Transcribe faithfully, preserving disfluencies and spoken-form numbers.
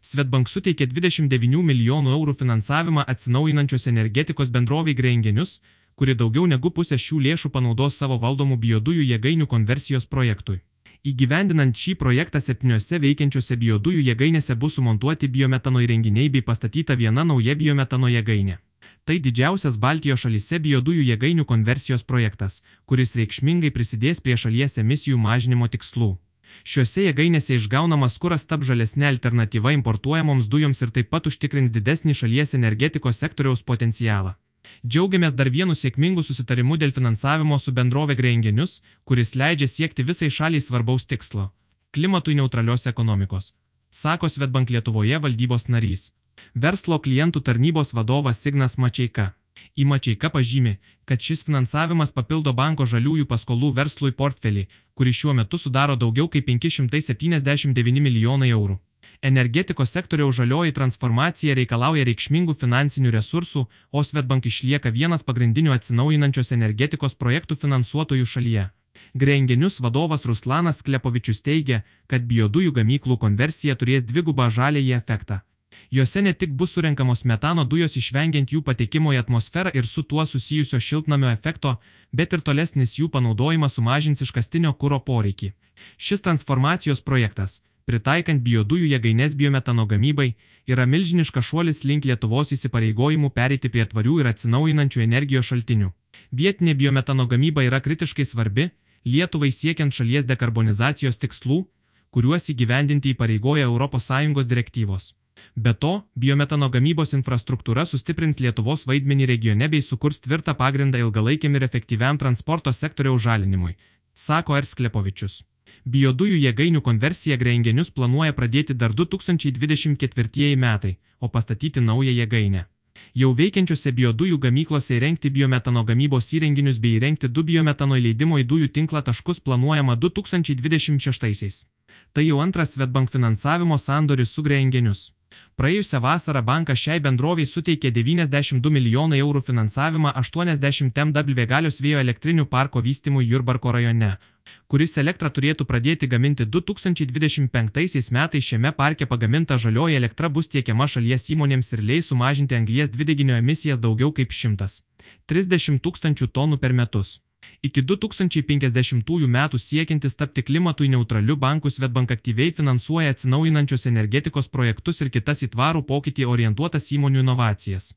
Swedbank suteikė dvidešimt devynių milijonų eurų finansavimą atsinaujinančios energetikos bendrovei Grengenius, kuri daugiau negu pusę šių lėšų panaudos savo valdomų biodujų jėgainių konversijos projektui. Įgyvendinant šį projektą septyniose veikiančiose biodujų jėgainėse bus sumontuoti biometano įrenginiai bei pastatyta viena nauja biometano jėgainė. Tai didžiausias Baltijos šalyse biodujų jėgainių konversijos projektas, kuris reikšmingai prisidės prie šalies emisijų mažinimo tikslų. Šiuose jėgainėse išgaunamas kuras taps žalesnė alternatyva importuojamoms dujoms ir taip pat užtikrins didesnį šalies energetikos sektoriaus potencialą. Džiaugiamės dar vienu sėkmingu susitarimu dėl finansavimo su bendrove Grengenius, kuris leidžia siekti visai šaliai svarbaus tikslo – klimatui neutralios ekonomikos, sako Swedbank Lietuvoje valdybos narys. Verslo klientų tarnybos vadovas Ignas Mačeika. Į Mačeika pažymi, kad šis finansavimas papildo banko žaliųjų paskolų verslui portfelį, kuri šiuo metu sudaro daugiau kaip penki šimtai septyniasdešimt devyni milijonai eurų. Energetikos sektoriaus žalioji transformacija reikalauja reikšmingų finansinių resursų, o Swedbank išlieka vienas pagrindinių atsinaujinančios energetikos projektų finansuotojų šalyje. Grengenius vadovas Ruslanas Klepovičius teigia, kad biodujų gamyklų konversija turės dvigubą žaliąjį efektą. Jose ne tik bus surenkamos metano dujos išvengiant jų patekimo į atmosferą ir su tuo susijusio šiltnamio efekto, bet ir tolesnis jų panaudojimas sumažins iškastinio kuro poreikį. Šis transformacijos projektas, pritaikant biodujų jėgaines biometano gamybai, yra milžiniškas šuolis link Lietuvos įsipareigojimų pereiti prie tvarių ir atsinaujinančių energijos šaltinių. Vietinė biometano gamyba yra kritiškai svarbi Lietuvai siekiant šalies dekarbonizacijos tikslų, kuriuos įgyvendinti įpareigoja Europos Sąjungos direktyvos. Be to, biometano gamybos infrastruktūra sustiprins Lietuvos vaidmenį regione bei sukurs tvirtą pagrindą ilgalaikiam ir efektyviam transporto sektoriaus žalinimui, sako R. Sklepovičius. Biodujų jėgainių konversiją Grengenius planuoja pradėti dar du tūkstančiai dvidešimt ketvirtieji metai, o pastatyti naują jėgainę. Jau veikiančiose biodujų gamyklose įrengti biometano gamybos įrenginius bei įrengti du biometano įleidimo į dujų tinklą taškus planuojama du tūkstančiai dvidešimt šeštaisiais. Tai jau antras Swedbank finansavimo sandoris su Grengenius. Praėjusią vasarą bankas šiai bendroviai suteikė devyniasdešimt du milijonai eurų finansavimą aštuoniasdešimt megavatų galios vėjo elektrinių parko vystymui Jurbarko rajone, kuris elektrą turėtų pradėti gaminti du tūkstančiai dvidešimt penktaisiais metais. Šiame parke pagaminta žalioji elektra bus tiekiama šalies įmonėms ir leis sumažinti anglies dvideginio emisijas daugiau kaip šimtas trisdešimt tūkstančių tonų per metus. Iki du tūkstančiai penkiasdešimtųjų metų siekiantis tapti klimatui neutraliu banku Swedbank aktyviai finansuoja atsinaujinančios energetikos projektus ir kitas į tvarų pokytį orientuotas įmonių inovacijas.